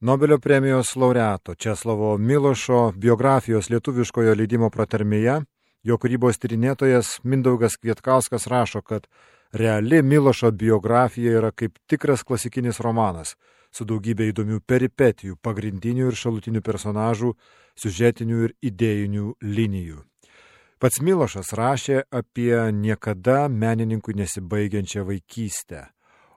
Nobelio premijos laureato Česlovo Milošo biografijos lietuviškojo leidimo pratarmėje jo kūrybos tyrinėtojas Mindaugas Kvietkauskas rašo, kad reali Milošo biografija yra kaip tikras klasikinis romanas, su daugybė įdomių peripetijų, pagrindinių ir šalutinių personažų, siužetinių ir idėjinių linijų. Pats Milošas rašė apie niekada menininkui nesibaigiančią vaikystę,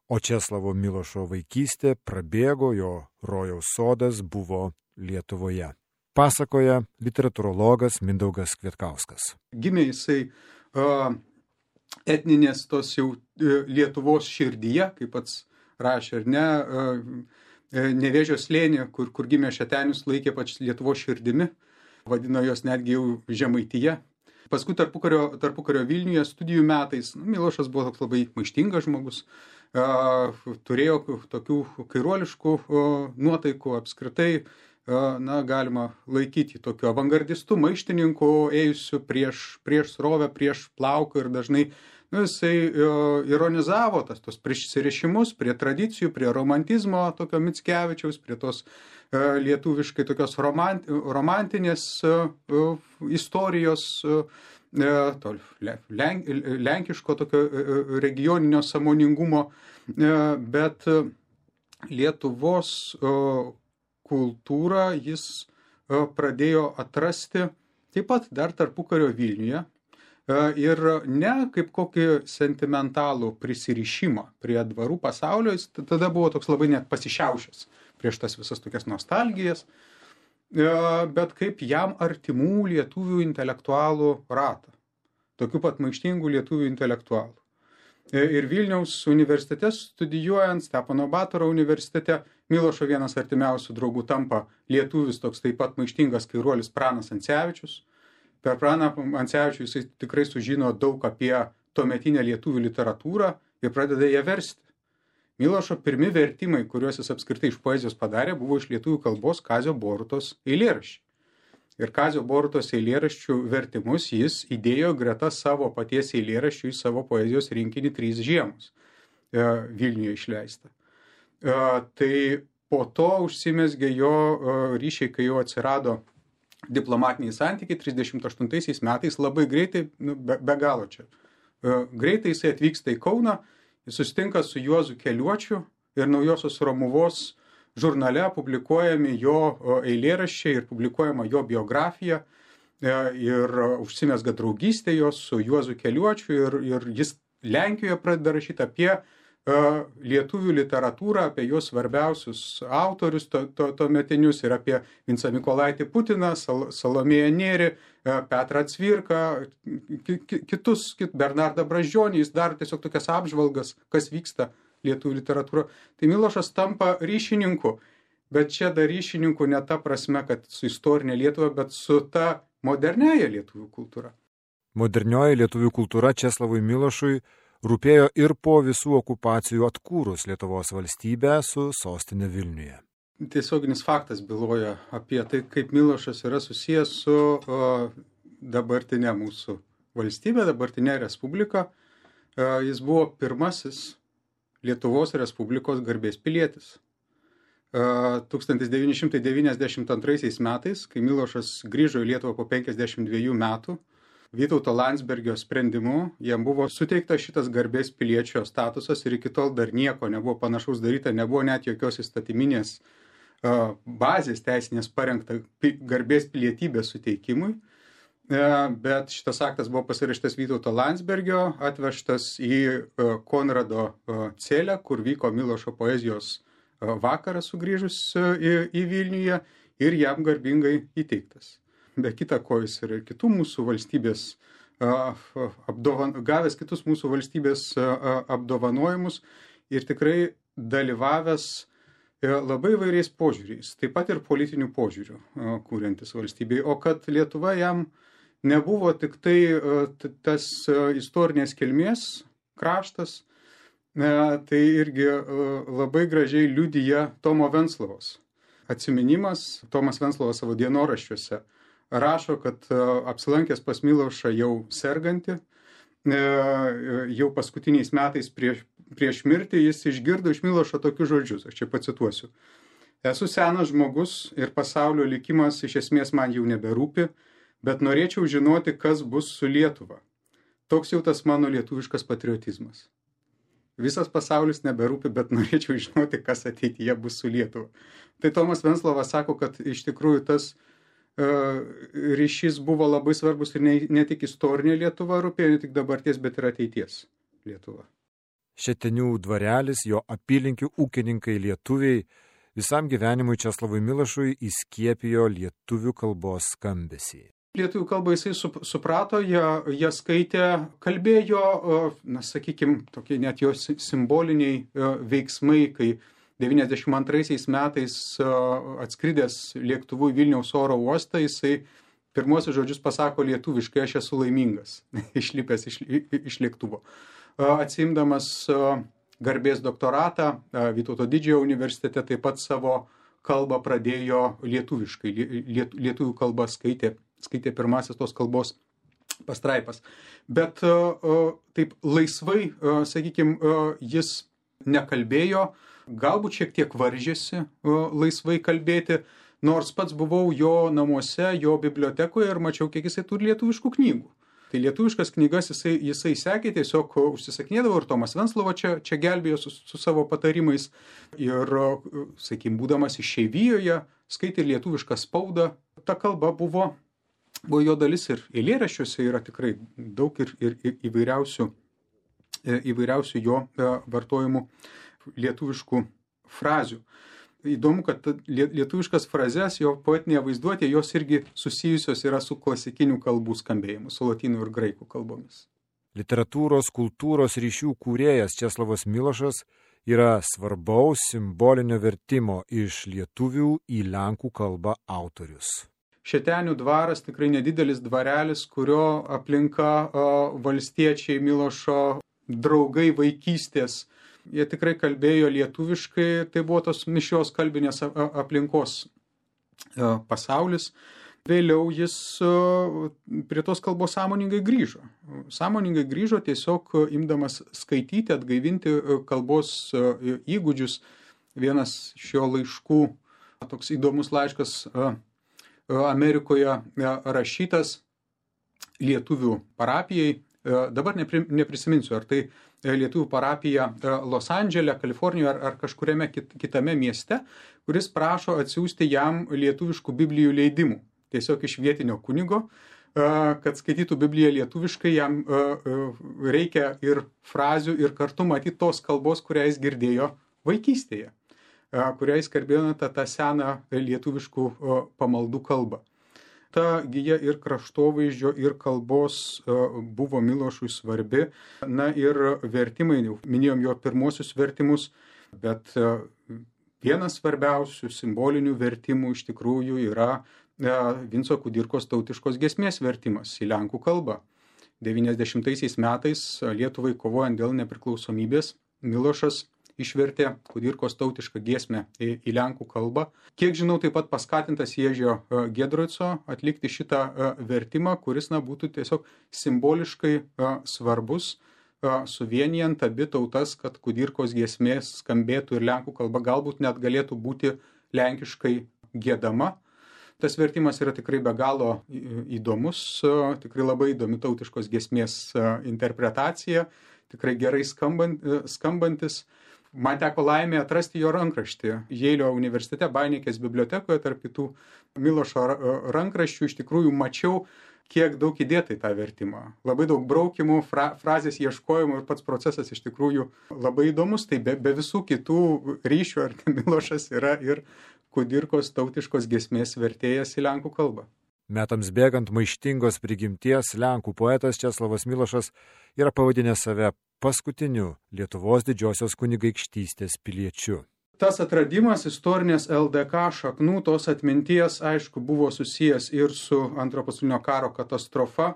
o Česlovo Milošo vaikystė prabėgo, jo rojaus sodas buvo Lietuvoje. Pasakoja literatūrologas Mindaugas Kvietkauskas. Gimė jisai etninės tos jau Lietuvos širdyje, kaip pats rašė, ar ne, Nevėžio slėnį, kur gimė Šetenius, laikė pač Lietuvos širdimi, vadino jos netgi jau Žemaitija. Paskui tarpukario Vilniuje studijų metais Milošas buvo toks labai maištingas žmogus, turėjo tokių kairuoliškų nuotaikų apskritai, galima laikyti tokiu avangardistu, maištininku, ėjusiu prieš srovę, prieš plauką ir dažnai jisai ironizavo tos prisirišimus prie tradicijų, prie romantizmo tokio Mickevičiaus, prie tos lietuviškai tokios romantinės istorijos, lenkiško tokio regioninio sąmoningumo, bet Lietuvos kultūrą jis pradėjo atrasti taip pat dar tarpukario Vilniuje ir ne kaip kokį sentimentalų prisirišimą prie dvarų pasaulio, jis tada buvo toks labai net pasišiaušęs prieš tas visas tokias nostalgijas, bet kaip jam artimų lietuvių intelektualų ratą, tokių pat maištingų lietuvių intelektualų. Ir Vilniaus universitete studijuojant, Stepono Batoro universitete, Milošo vienas artimiausių draugų tampa lietuvis toks taip pat maištingas kairuolis Pranas Ancevičius. Per Praną Ancevičių jisai tikrai sužino daug apie tuometinę lietuvių literatūrą ir pradeda ją versti. Milošo pirmi vertimai, kuriuos jis apskritai iš poezijos padarė, buvo iš lietuvių kalbos Kazio Borutos eilėraščių. Ir Kazio Borutos eilėraščių vertimus jis įdėjo greta savo paties eilėraščių į savo poezijos rinkinį 3 žiemos Vilniuje išleistą. Tai po to užsimezgė jo ryšiai, kai jau atsirado diplomatiniai santykiai 38 metais, labai greitai, be galo čia. Greitai jisai atvyksta į Kauną, jis susitinka su Juozu Keliuočiu ir Naujosios Romuvos žurnale publikuojami jo eilėraščiai ir publikuojama jo biografija ir užsimezga draugystė jos su Juozu Keliuočiu ir jis Lenkijoje pradeda rašyti apie lietuvių literatūrą, apie jos svarbiausius autorius tuometinius ir apie Vincą Mykolaitį Putiną, Salomėją Nėrį, Petrą Cvirką, kitus, Bernardą Brazdžionį, jis daro tiesiog tokias apžvalgas, kas vyksta lietuvių literatūra. Tai Milošas tampa ryšininku, bet čia dar ryšininku ne ta prasme, kad su istorinė Lietuva, bet su ta moderniaja lietuvių kultūra. Modernioji lietuvių kultūra Česlovui Milošui rūpėjo ir po visų okupacijų atkūrus Lietuvos valstybę su sostinė Vilniuje. Tiesioginis faktas byloja apie tai, kaip Milošas yra susijęs su dabartinė mūsų valstybė, dabartinė respublika. Jis buvo pirmasis Lietuvos Respublikos garbės pilietis. 1992 metais, kai Milošas grįžo į Lietuvą po 52 metų, Vytauto Landsbergio sprendimu jam buvo suteiktas šitas garbės piliečio statusas ir iki tol dar nieko nebuvo panašaus daryta, nebuvo net jokios įstatyminės bazės teisinės parengta garbės pilietybės suteikimui, bet šitas aktas buvo pasirašytas Vytauto Landsbergio, atvežtas į Konrado celę, kur vyko Milošo poezijos vakaras sugrįžus į Vilniuje ir jam garbingai įteiktas. Be kita ko jis ir kitų mūsų valstybės, gavęs kitus mūsų valstybės apdovanojimus ir tikrai dalyvavęs labai įvairiais požiūriais, taip pat ir politinių požiūrių kūriantis valstybei. O kad Lietuva jam nebuvo tik tai tas istorinės kilmės kraštas, tai irgi labai gražiai liudija Tomo Venclovos atsiminimas. Tomas Venclovas savo dienoraščiuose rašo, kad apsilankęs pas Milošą jau sergantį, jau paskutiniais metais prieš mirtį jis išgirdo iš Milošo tokius žodžius, aš čia pacituosiu. Esu senas žmogus ir pasaulio likimas iš esmės man jau neberūpi, bet norėčiau žinoti, kas bus su Lietuva. Toks jau tas mano lietuviškas patriotizmas. Visas pasaulis neberūpi, bet norėčiau žinoti, kas ateityje bus su Lietuva. Tai Tomas Venclovas sako, kad iš tikrųjų tas ryšys buvo labai svarbus ir ne tik istorinė Lietuva rūpėjo, ne tik dabarties, bet ir ateities Lietuva. Šetenių dvarelis, jo apylinkių ūkininkai lietuviai visam gyvenimui Česlovui Milošui įskiepijo lietuvių kalbos skambesį. Lietuvių kalbą jisai suprato, jie skaitė, kalbėjo, sakykime, tokie net jo simboliniai veiksmai, kai 92 metais atskridęs lėktuvu į Vilniaus oro uostą, jisai pirmuosius žodžius pasako lietuviškai, aš esu laimingas, išlipęs iš lėktuvo. Atsiimdamas garbės doktoratą Vytauto Didžiojo universitete taip pat savo kalbą pradėjo lietuviškai, lietuvių kalbą skaitė pirmasis tos kalbos pastraipas. Bet taip laisvai, sakykime, jis nekalbėjo, galbūt šiek tiek varžėsi laisvai kalbėti, nors pats buvau jo namuose, jo bibliotekoje ir mačiau, kiek jisai turi lietuviškų knygų. Tai lietuviškas knygas jisai sekė, tiesiog užsisakinėdavo ir Tomas Venclova čia gelbėjo su savo patarimais. Ir, sakykime, būdamas išeivijoje, skaitė lietuvišką spaudą. Ta kalba buvo jo dalis ir eilėraščiuose yra tikrai daug ir įvairiausių jo vartojimų lietuviškų frazių. Įdomu, kad lietuviškas frazes, jo poetinėje vaizduotė, jos irgi susijusios yra su klasikinių kalbų skambėjimu, su lotynų ir graikų kalbomis. Literatūros, kultūros ryšių kūrėjas Česlovas Milošas yra svarbaus simbolinio vertimo iš lietuvių į lenkų kalbą autorius. Šetenių dvaras tikrai nedidelis dvarelis, kurio aplinka valstiečiai Milošo draugai vaikystės. Jie tikrai kalbėjo lietuviškai, tai buvo tos mišrios kalbinės aplinkos pasaulis. Vėliau jis prie tos kalbos sąmoningai grįžo. Sąmoningai grįžo tiesiog imdamas skaityti, atgaivinti kalbos įgūdžius. Vienas iš jo laiškų, toks įdomus laiškas Amerikoje rašytas lietuvių parapijai. Dabar neprisiminsiu, ar tai lietuvių parapija Los Andžele, Kalifornijoje ar kažkuriame kitame mieste, kuris prašo atsiųsti jam lietuviškų biblijų leidimų. Tiesiog iš vietinio kunigo, kad skaitytų Bibliją lietuviškai, jam reikia ir frazių, ir kartu matyti tos kalbos, kurią jis girdėjo vaikystėje, kurią jis kalbėjo tą seną lietuviškų pamaldų kalbą. Ta gija ir kraštovaizdžio, ir kalbos buvo Milošui svarbi. Na ir vertimai, minėjom jo pirmosius vertimus, bet vienas svarbiausių simbolinių vertimų iš tikrųjų yra Vinco Kudirkos tautiškos giesmės vertimas į lenkų kalbą. 90 metais Lietuvai kovojant dėl nepriklausomybės, Milošas išvertė Kudirkos tautišką giesmę į lenkų kalbą. Kiek žinau, taip pat paskatintas Ježio Giedroico atlikti šitą vertimą, kuris būtų tiesiog simboliškai svarbus, suvienijant abi tautas, kad Kudirkos giesmės skambėtų ir lenkų kalba, galbūt net galėtų būti lenkiškai giedama. Tas vertimas yra tikrai be galo įdomus, tikrai labai įdomi tautiškos giesmės interpretacija, tikrai gerai skambantis. Man teko laimė atrasti jo rankraštį Jeilio universitete, Bainikės bibliotekoje, tarp kitų Milošo rankraščių. Iš tikrųjų mačiau, kiek daug įdėta į tą vertimą. Labai daug braukimų, frazės ieškojimų ir pats procesas iš tikrųjų labai įdomus. Tai be visų kitų ryšių, ar Milošas yra ir Kudirkos tautiškos giesmės vertėjas į lenkų kalbą. Metams bėgant maištingos prigimties lenkų poetas Česlovas Milošas yra pavadinęs save paskutiniu Lietuvos didžiosios kunigaikštystės piliečiu. Tas atradimas istorinės LDK šaknų, tos atminties, aišku, buvo susijęs ir su Antrojo pasaulinio karo katastrofa,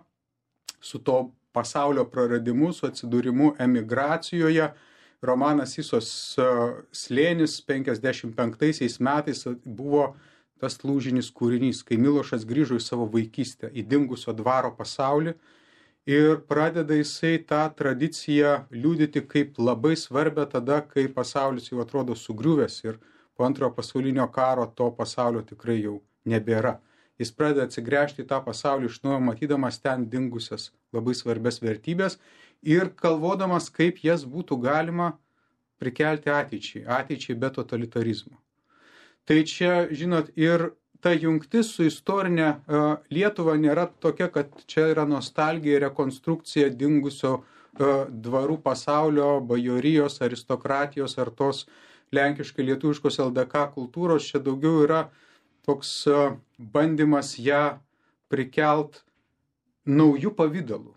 su to pasaulio praradimu, su atsidūrimu emigracijoje. Romanas Isos slėnis 55 metais buvo tas lūžinis kūrinys, kai Milošas grįžo į savo vaikystę, į dingusio dvaro pasaulį ir pradeda jisai tą tradiciją liudyti kaip labai svarbę tada, kai pasaulis jau atrodo sugriuvęs ir po antrojo pasaulinio karo to pasaulio tikrai jau nebėra. Jis pradeda atsigręžti į tą pasaulį iš naujo, matydamas ten dingusias labai svarbias vertybės ir galvodamas, kaip jas būtų galima prikelti ateičiai be totalitarizmo. Tai čia, žinot, ir ta jungtis su istorinė Lietuva nėra tokia, kad čia yra nostalgija, rekonstrukcija dingusio dvarų pasaulio, bajorijos, aristokratijos ar tos lenkiškai lietuviškos LDK kultūros. Čia daugiau yra toks bandymas ją prikelt naujų pavydalų,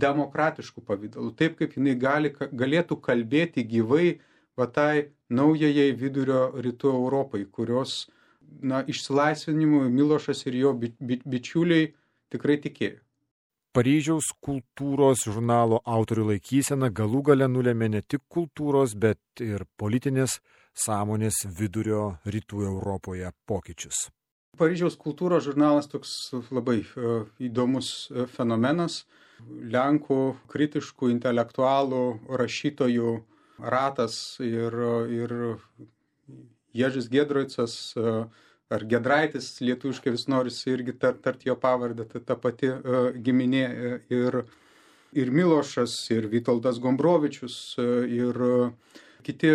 demokratiškų pavydalų, taip kaip jinai galėtų kalbėti gyvai tai naujajai vidurio rytų Europai, kurios išsilaisvinimui Milošas ir jo bičiuliai tikrai tikėjo. Paryžiaus kultūros žurnalo autorių laikysena galų gale nulėmė ne tik kultūros, bet ir politinės sąmonės vidurio rytų Europoje pokyčius. Paryžiaus kultūros žurnalas toks labai įdomus fenomenas. Lenkų kritiškų, intelektualų, rašytojų ratas ir Ježis Giedroicas ar Giedraitis, lietuviškai vis norisi irgi tart jo pavardę, ta pati giminė ir Milošas, ir Vitoldas Gombrovičius, ir kiti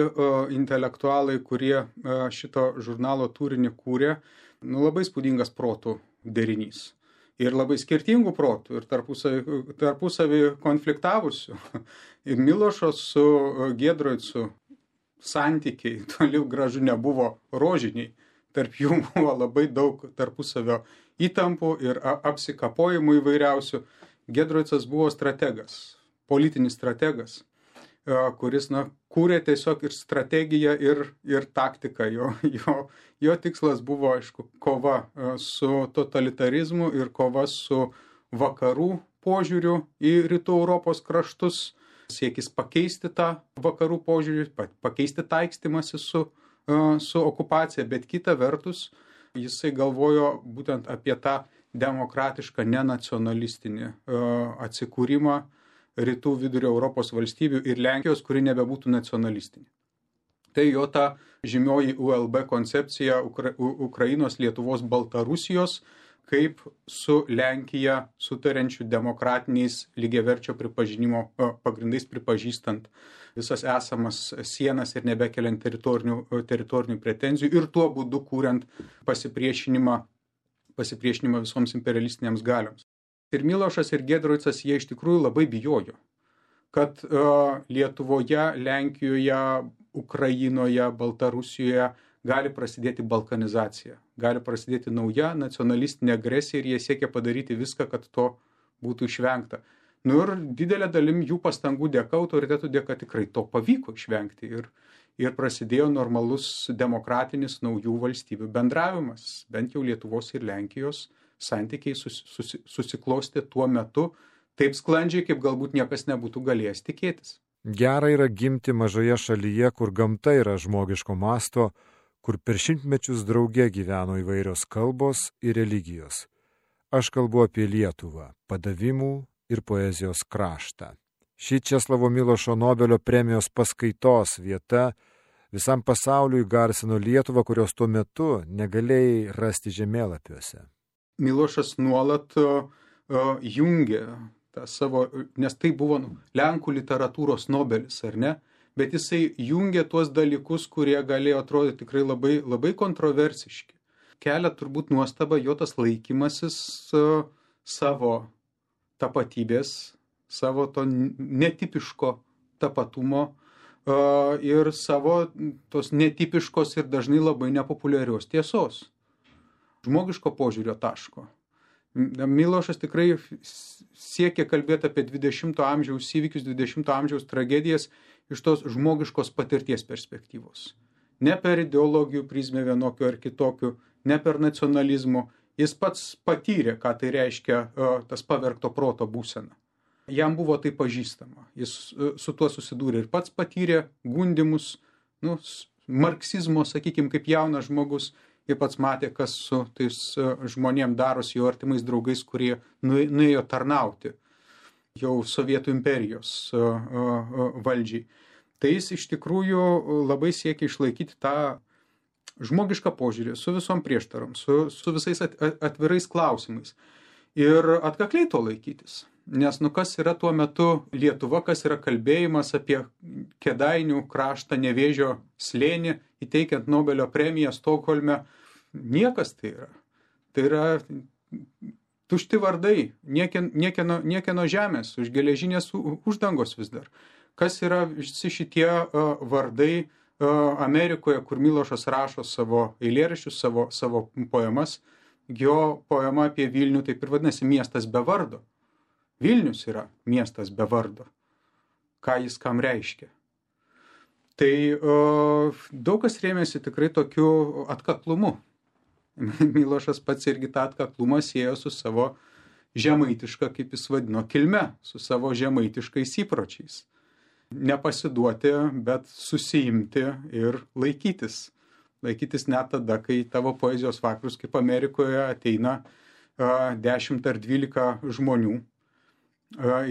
intelektualai, kurie šito žurnalo turinį kūrė, labai spūdingas protų derinys. Ir labai skirtingų protų, ir tarpusavį konfliktavusių. Ir Milošo su Giedroicu santykiai toli gražu nebuvo rožiniai. Tarp jų buvo labai daug tarpusavio įtampų ir apsikapojimų įvairiausių. Giedroicas buvo strategas, politinis strategas, kuris kūrė tiesiog ir strategiją, ir taktiką. Jo tikslas buvo, aišku, kova su totalitarizmu ir kova su vakarų požiūriu į rytų Europos kraštus, siekis pakeisti tą vakarų požiūrį, pakeisti taikstymąsi su okupacija, bet kita vertus jisai galvojo būtent apie tą demokratišką, nenacionalistinį atsikūrimą rytų vidurio Europos valstybių ir Lenkijos, kuri nebebūtų nacionalistinė. Tai jo ta žymioji ULB koncepcija Ukrainos, Lietuvos, Baltarusijos, kaip su Lenkija sutariančių demokratiniais lygiaverčio pripažinimo pagrindais pripažįstant visas esamas sienas ir nebekeliant teritorinių pretenzijų ir tuo būdu kūrent pasipriešinimą visoms imperialistinėms galioms. Ir Milošas ir Giedroicas jie iš tikrųjų labai bijojo, kad Lietuvoje, Lenkijoje, Ukrainoje, Baltarusijoje gali prasidėti balkanizacija, gali prasidėti nauja nacionalistinė agresija ir jie siekia padaryti viską, kad to būtų išvengta. Ir didelė dalim jų pastangų dėka, autoritetų dėka tikrai to pavyko išvengti ir prasidėjo normalus demokratinis naujų valstybių bendravimas, bent jau Lietuvos ir Lenkijos santykiai susiklostė tuo metu taip sklandžiai, kaip galbūt niekas nebūtų galėjęs tikėtis. Gera yra gimti mažoje šalyje, kur gamta yra žmogiško masto, kur per šimtmečius drauge gyveno įvairios kalbos ir religijos. Aš kalbu apie Lietuvą, padavimų ir poezijos kraštą. Ši Česlovo Milošo Nobelio premijos paskaitos vieta visam pasauliui garsino Lietuvą, kurios tuo metu negalėjai rasti žemėlapiuose. Milošas nuolat jungė tą savo, nes tai buvo Lenkų literatūros Nobelis, ar ne? Bet jisai jungė tuos dalykus, kurie galėjo atrodyti tikrai labai, labai kontroversiški. Kelia turbūt nuostaba jo tas laikymasis savo tapatybės, savo to netipiško tapatumo ir savo tos netipiškos ir dažnai labai nepopuliarios tiesos. Žmogiško požiūrio taško. Milošas tikrai siekia kalbėti apie 20 amžiaus įvykius, 20 amžiaus tragedijas iš tos žmogiškos patirties perspektyvos. Ne per ideologijų prizmę vienokių ar kitokių, ne per nacionalizmo. Jis pats patyrė, ką tai reiškia tas pavergto proto būsena. Jam buvo tai pažįstama. Jis su tuo susidūrė ir pats patyrė gundymus, marksizmo, sakykime, kaip jaunas žmogus. Ir pats matė, kas su tais žmonėm darosi, jo artimais draugais, kurie nuėjo tarnauti jau Sovietų imperijos valdžiai. tai jis iš tikrųjų labai siekia išlaikyti tą žmogišką požiūrį su visom prieštarom, su visais atvirais klausimais ir atkakliai to laikytis. Nes kas yra tuo metu Lietuva, kas yra kalbėjimas apie Kėdainių kraštą, Nevėžio slėnį, įteikiant Nobelio premiją Stokholme, niekas tai yra. Tai yra tušti vardai, niekieno žemės, už geležinės uždangos vis dar. Kas yra visi šitie vardai Amerikoje, kur Milošas rašo savo eilėraščius, savo poemas. Jo poema apie Vilnių taip ir vadinasi miestas be vardo. Vilnius yra miestas be vardo. Ką jis kam reiškia? Tai daug kas rėmėsi tikrai tokiu atkaklumu. Milošas pats irgi tą atkaklumą siejo su savo žemaitiška, kaip jis vadino, kilme, su savo žemaitiškais įpročiais. Nepasiduoti, bet susiimti ir laikytis. Laikytis net tada, kai tavo poezijos vakarus, kaip Amerikoje, ateina 10 ar 12 žmonių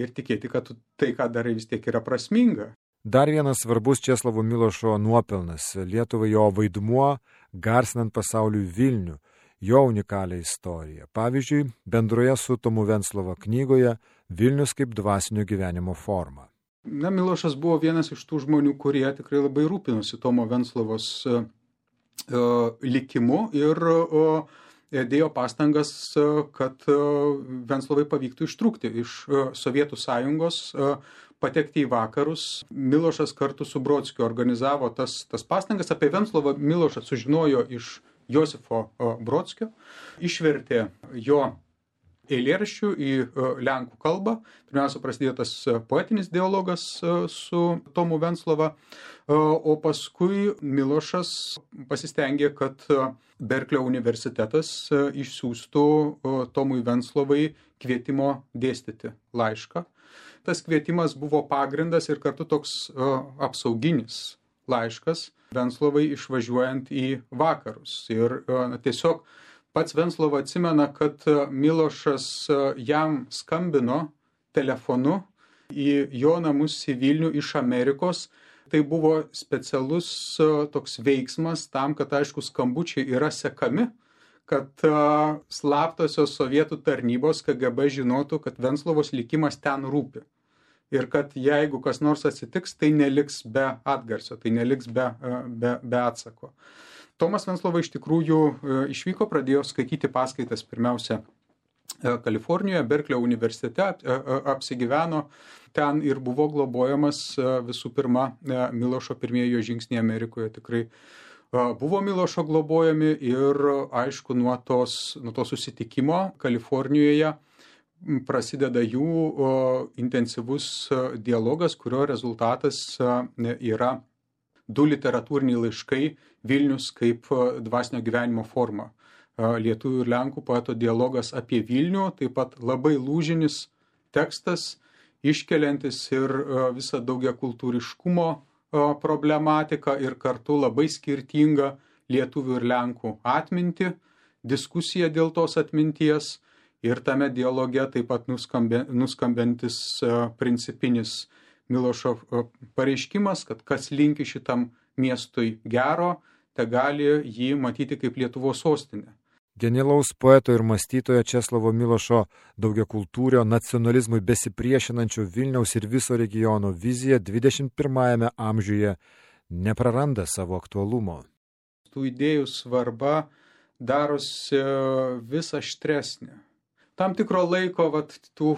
ir tikėti, kad tai, ką darai, vis tiek yra prasminga. Dar vienas svarbus Česlovo Milošo nuopelnas - Lietuvai jo vaidmuo, garsinant pasauliui Vilnių, jo unikalią istoriją. Pavyzdžiui, bendroje su Tomu Venclova knygoje Vilnius kaip dvasinio gyvenimo forma. Milošas buvo vienas iš tų žmonių, kurie tikrai labai rūpinosi Tomo Venclovos likimu ir dėjo pastangas, kad Venclovai pavyktų ištrūkti iš Sovietų sąjungos, patekti į vakarus. Milošas kartu su Brodskiu organizavo tas pastangas. Apie Venclovą Milošas sužinojo iš Josifo Brodskio, išvertė jo eilėraščių į lenkų kalbą. Pirmiausia, prasidėjo tas poetinis dialogas su Tomu Venclova, o paskui Milošas pasistengė, kad Berklio universitetas išsiųstų Tomui Venclovai kvietimo dėstyti laišką. Tas kvietimas buvo pagrindas ir kartu toks apsauginis laiškas Venclovai išvažiuojant į vakarus. Ir tiesiog pats Venclova atsimena, kad Milošas jam skambino telefonu į jo namus į Vilnių iš Amerikos. Tai buvo specialus toks veiksmas tam, kad, aišku, skambučiai yra sekami, kad slaptosios sovietų tarnybos KGB žinotų, kad Venclovos likimas ten rūpi. Ir kad jeigu kas nors atsitiks, tai neliks be atgarsio, tai neliks be atsako. Tomas Venclova iš tikrųjų išvyko, pradėjo skaityti paskaitas pirmiausia Kalifornijoje, Berklio universitete, apsigyveno ten ir buvo globojamas visų pirma Milošo pirmieji jo žingsniai Amerikoje. Tikrai buvo Milošo globojami ir aišku nuo to susitikimo Kalifornijoje prasideda jų intensyvus dialogas, kurio rezultatas yra 2 literatūriniai laiškai Vilnius kaip dvasinio gyvenimo forma. Lietuvių ir Lenkų poeto dialogas apie Vilnių, taip pat labai lūžinis tekstas, iškeliantis ir visą daugiakultūriškumo problematiką ir kartu labai skirtingą lietuvių ir Lenkų atmintį, diskusiją dėl tos atminties ir tame dialoge taip pat nuskambantis principinis Milošo pareiškimas, kad kas linki šitam miestui gero, te gali jį matyti kaip Lietuvos sostinę. Genialaus poeto ir mąstytojo Česlovo Milošo daugiakultūrio nacionalizmui besipriešinančio Vilniaus ir viso regiono vizija 21 amžiuje nepraranda savo aktualumo. Tų idėjų svarba darosi vis aštresnė. Tam tikro laiko, tų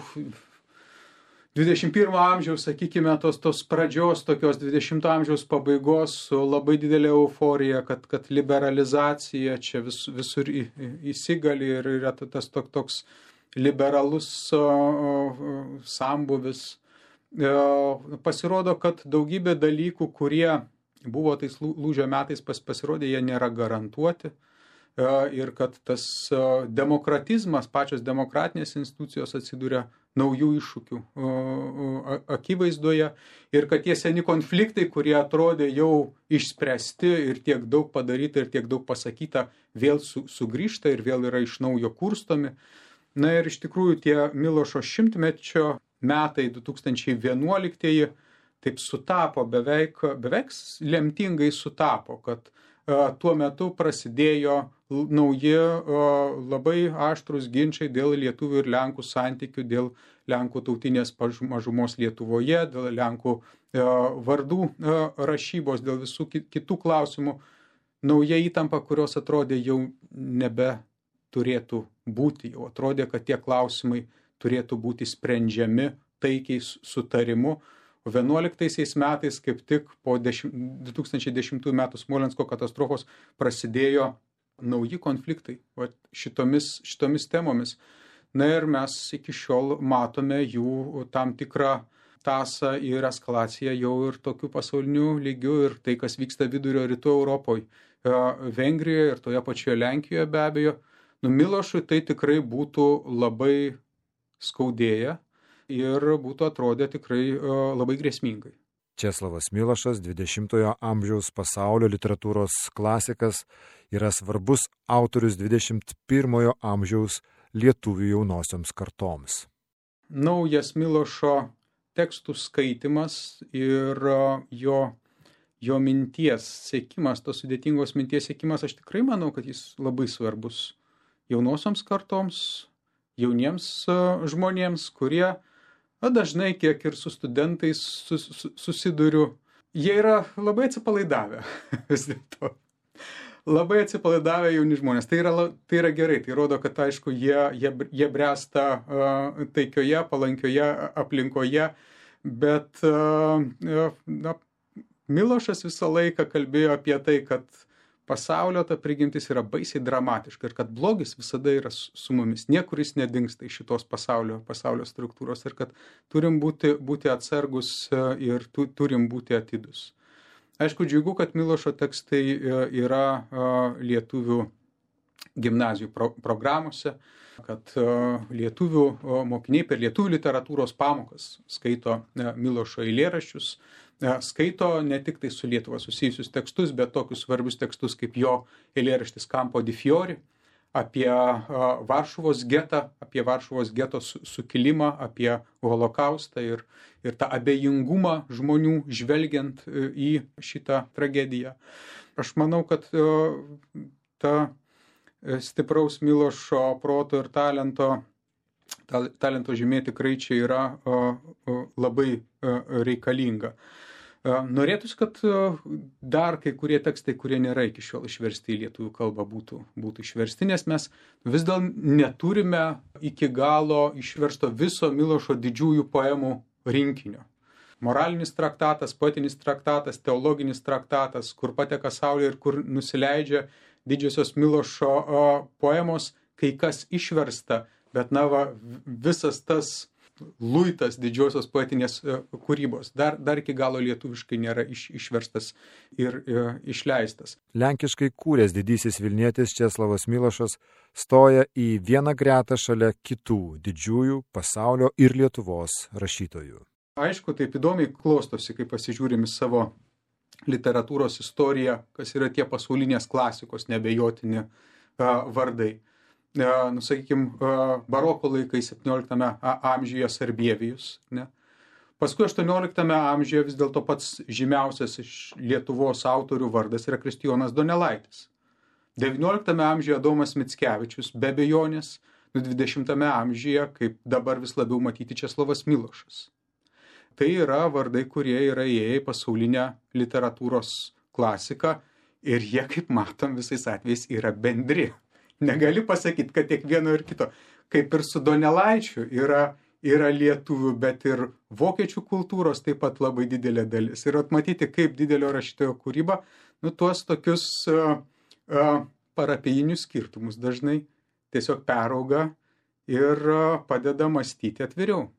21 amžiaus, sakykime, tos pradžios, tokios 20 amžiaus pabaigos su labai didelė euforija, kad liberalizacija čia visur įsigali ir yra tas toks liberalus sambuvis. Pasirodo, kad daugybė dalykų, kurie buvo tais lūžio metais pasirodė, jie nėra garantuoti. Ir kad tas demokratizmas, pačios demokratinės institucijos atsiduria naujų iššūkių akivaizdoje ir kad tie seni konfliktai, kurie atrodė jau išspręsti ir tiek daug padaryta ir tiek daug pasakyta, vėl sugrįžta ir vėl yra iš naujo kurstomi. Na ir iš tikrųjų tie Milošo šimtmečio metai 2011, taip sutapo, beveik lemtingai sutapo, kad tuo metu prasidėjo nauji labai aštrūs ginčiai dėl lietuvių ir lenkų santykių, dėl lenkų tautinės mažumos Lietuvoje, dėl lenkų vardų rašybos, dėl visų kitų klausimų. Nauja įtampa, kurios atrodė jau nebeturėtų būti, jau atrodė, kad tie klausimai turėtų būti sprendžiami taikiai sutarimu. 11 metais, kaip tik po 2010 metų Smolensko katastrofos, prasidėjo nauji konfliktai šitomis temomis. Na ir mes iki šiol matome jų tam tikrą tąsą ir eskalaciją jau ir tokiu pasauliniu lygiu, ir tai, kas vyksta vidurio rytų Europoje, Vengrijoje ir toje pačioje Lenkijoje be abejo. Milošui tai tikrai būtų labai skaudėję ir būtų atrodę tikrai labai grėsmingai. Česlovas Milošas, 20-ojo amžiaus pasaulio literatūros klasikas, yra svarbus autorius 21-ojo amžiaus lietuvių jaunosioms kartoms. Naujas Milošo tekstų skaitimas ir jo minties sekimas, tos sudėtingos minties sekimas, aš tikrai manau, kad jis labai svarbus jaunosioms kartoms, jauniems žmonėms, kurie dažnai, kiek ir su studentais susiduriu, jie yra labai atsipalaidavę vis dėlto. Labai atsipalaidavę jauni žmonės. Tai yra gerai, tai rodo, kad aišku, jie bręsta taikioje, palankioje aplinkoje, bet Milošas visą laiką kalbėjo apie tai, kad pasaulio ta prigimtis yra baisiai dramatiška ir kad blogis visada yra su mumis. Niekur jis nedingsta iš šitos pasaulio struktūros ir kad turim būti atsargus ir turim būti atidus. Aišku, džiugu, kad Milošo tekstai yra lietuvių gimnazijų programuose, kad lietuvių mokiniai per lietuvių literatūros pamokas skaito Milošo eilėraščius, skaito ne tik tai su Lietuva susijusius tekstus, bet tokius svarbius tekstus kaip jo eilėraštis Campo di Fiori, apie Varšuvos getą, apie Varšuvos geto sukilimą, apie holokaustą ir tą abejingumą žmonių žvelgiant į šitą tragediją. Aš manau, kad ta stipraus Milošo proto ir talento žymė tikrai čia yra labai reikalinga. Norėtųsi, kad dar kai kurie tekstai, kurie nėra iki šiol išversti į lietuvių kalbą, būtų išversti, nes mes vis dar neturime iki galo išversto viso Milošo didžiųjų poemų rinkinio. Moralinis traktatas, poetinis traktatas, teologinis traktatas, kur pateka saulė ir kur nusileidžia didžiosios Milošo poemos, kai kas išversta, bet visas tas luitas didžiosios poetinės kūrybos dar iki galo lietuviškai nėra išverstas ir išleistas. Lenkiškai kūręs didysis Vilnietis Česlovas Milošas stoja į vieną gretą šalia kitų didžiųjų pasaulio ir Lietuvos rašytojų. Aišku, taip įdomiai klostosi, kai pasižiūrim į savo literatūros istoriją, kas yra tie pasaulinės klasikos nebejotini vardai. Sakykime, baroko laikai 17 amžiuje Sarbievijus. Ne? Paskui 18 amžiuje vis dėlto pats žymiausias iš Lietuvos autorių vardas yra Kristijonas Donelaitis. 19 amžiuje Adomas Mickevičius, be abejonės, 20 amžiuje, kaip dabar vis labiau matyti, Česlovas Milošas. Tai yra vardai, kurie yra įėję į pasaulinę literatūros klasiką ir jie, kaip matom, visais atvejais yra bendri. Negali pasakyti, kad tiek vieno ir kito. Kaip ir su Donelaičiu yra lietuvių, bet ir vokiečių kultūros taip pat labai didelė dalis. Ir atmatyti, kaip didelio rašytojo kūryba, tuos tokius parapijinius skirtumus dažnai tiesiog perauga ir padeda mąstyti atviriau.